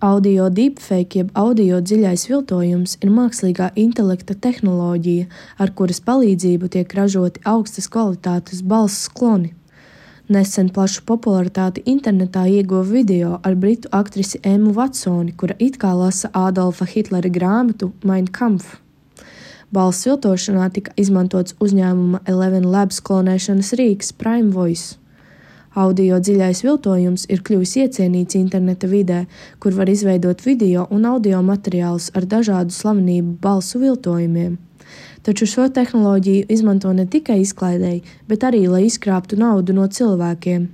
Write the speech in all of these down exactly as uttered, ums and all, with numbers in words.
Audio deepfake jeb audio dziļais viltojums ir mākslīgā intelekta tehnoloģija, ar kuras palīdzību tiek ražoti augstas kvalitātes balss kloni. Nesen plašu popularitāti internetā ieguva video ar britu aktrisi Emmu Watsoni, kura it kā lasa Adolfa Hitlera grāmatu Mein Kampf. Balss viltošanā tika izmantots uzņēmuma Eleven Labs klonēšanas rīks Prime Voice. Audio dziļais viltojums ir kļuvis iecienīts interneta vidē, kur var izveidot video un audio materiālus ar dažādu slavenību balsu viltojumiem. Taču šo tehnoloģiju izmanto ne tikai izklaidei, bet arī, lai izkrāptu naudu no cilvēkiem.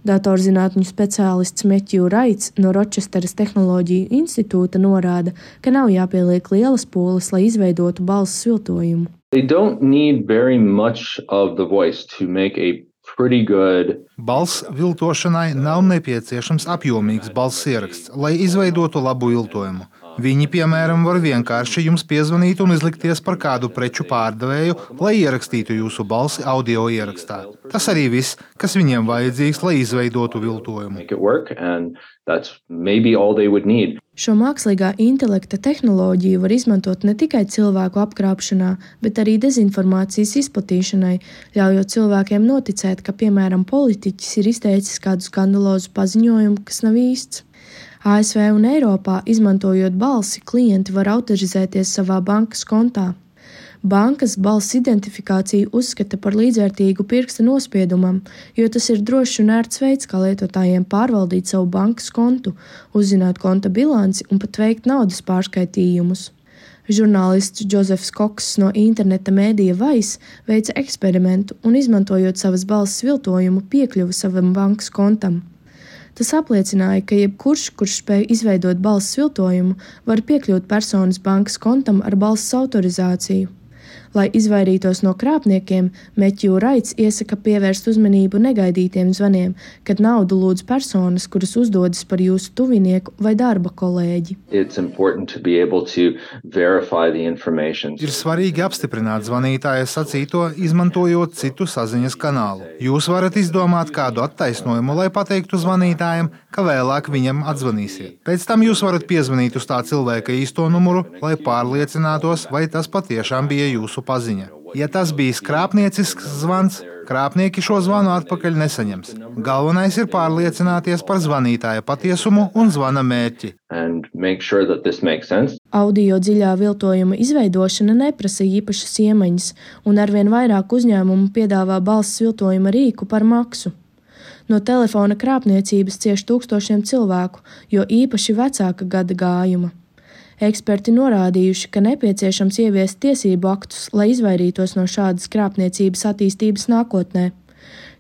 Datorzinātņu speciālists Matthew Wrights no Rochesteras Tehnoloģiju institūta norāda, ka nav jāpieliek lielas pūles, lai izveidotu balss viltojumu. They don't need very much of the voice to make a pretty good. Balss viltošanai nav nepieciešams apjomīgs balss ieraksts, lai izveidotu labu viltojumu. Viņi, piemēram, var vienkārši jums piezvanīt un izlikties par kādu preču pārdevēju, lai ierakstītu jūsu balsi audio ierakstā. Tas arī viss, kas viņiem vajadzīgs, lai izveidotu viltojumu. Šo mākslīgā intelekta tehnoloģiju var izmantot ne tikai cilvēku apkrāpšanā, bet arī dezinformācijas izplatīšanai, ļaujot cilvēkiem noticēt, ka, piemēram, politiķis ir izteicis kādu skandalozu paziņojumu, kas nav īsts. A S V un Eiropā, izmantojot balsi, klienti var autorizēties savā bankas kontā. Bankas balss identifikāciju uzskata par līdzvērtīgu pirksta nospiedumam, jo tas ir drošs un ērts veids, kā lietotājiem pārvaldīt savu bankas kontu, uzzināt konta bilanci un pat veikt naudas pārskaitījumus. Žurnālists Džozefs Kokss no interneta mēdija Vice veica eksperimentu un, izmantojot savas balss viltojumu, piekļuva savam bankas kontam. Tas apliecināja, ka jebkurš, kurš spēj izveidot balss viltojumu, var piekļūt personas bankas kontam ar balss autorizāciju. Lai izvairītos no krāpniekiem, Matthew Wrights iesaka pievērst uzmanību negaidītiem zvaniem, kad naudu lūdz personas, kuras uzdodas par jūsu tuvinieku vai darba kolēģi. Ir svarīgi apstiprināt zvanītāja sacīto, izmantojot citu saziņas kanālu. Jūs varat izdomāt kādu attaisnojumu, lai pateiktu zvanītājam, ka vēlāk viņam atzvanīsiet. Pēc tam jūs varat piezvanīt uz tā cilvēka īsto numuru, lai pārliecinātos, vai tas patiešām bija jūsu paziņa. Ja tas bijis krāpniecisks zvans, krāpnieki šo zvanu atpakaļ nesaņems. Galvenais ir pārliecināties par zvanītāja patiesumu un zvana mērķi. Sure Audio dziļā viltojuma izveidošana neprasa īpašas iemaņas, un arvien vairāk uzņēmumu piedāvā balss viltojuma rīku par maksu. No telefona krāpniecības cieš tūkstošiem cilvēku, jo īpaši vecāka gada gājuma. Eksperti norādījuši, ka nepieciešams ieviest tiesību aktus, lai izvairītos no šādas krāpniecības attīstības nākotnē.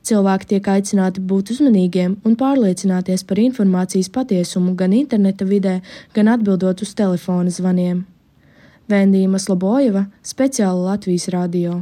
Cilvēki tiek aicināti būt uzmanīgiem un pārliecināties par informācijas patiesumu gan interneta vidē, gan atbildot uz telefona zvaniem. Vendija Maslobojeva, speciāli Latvijas radio.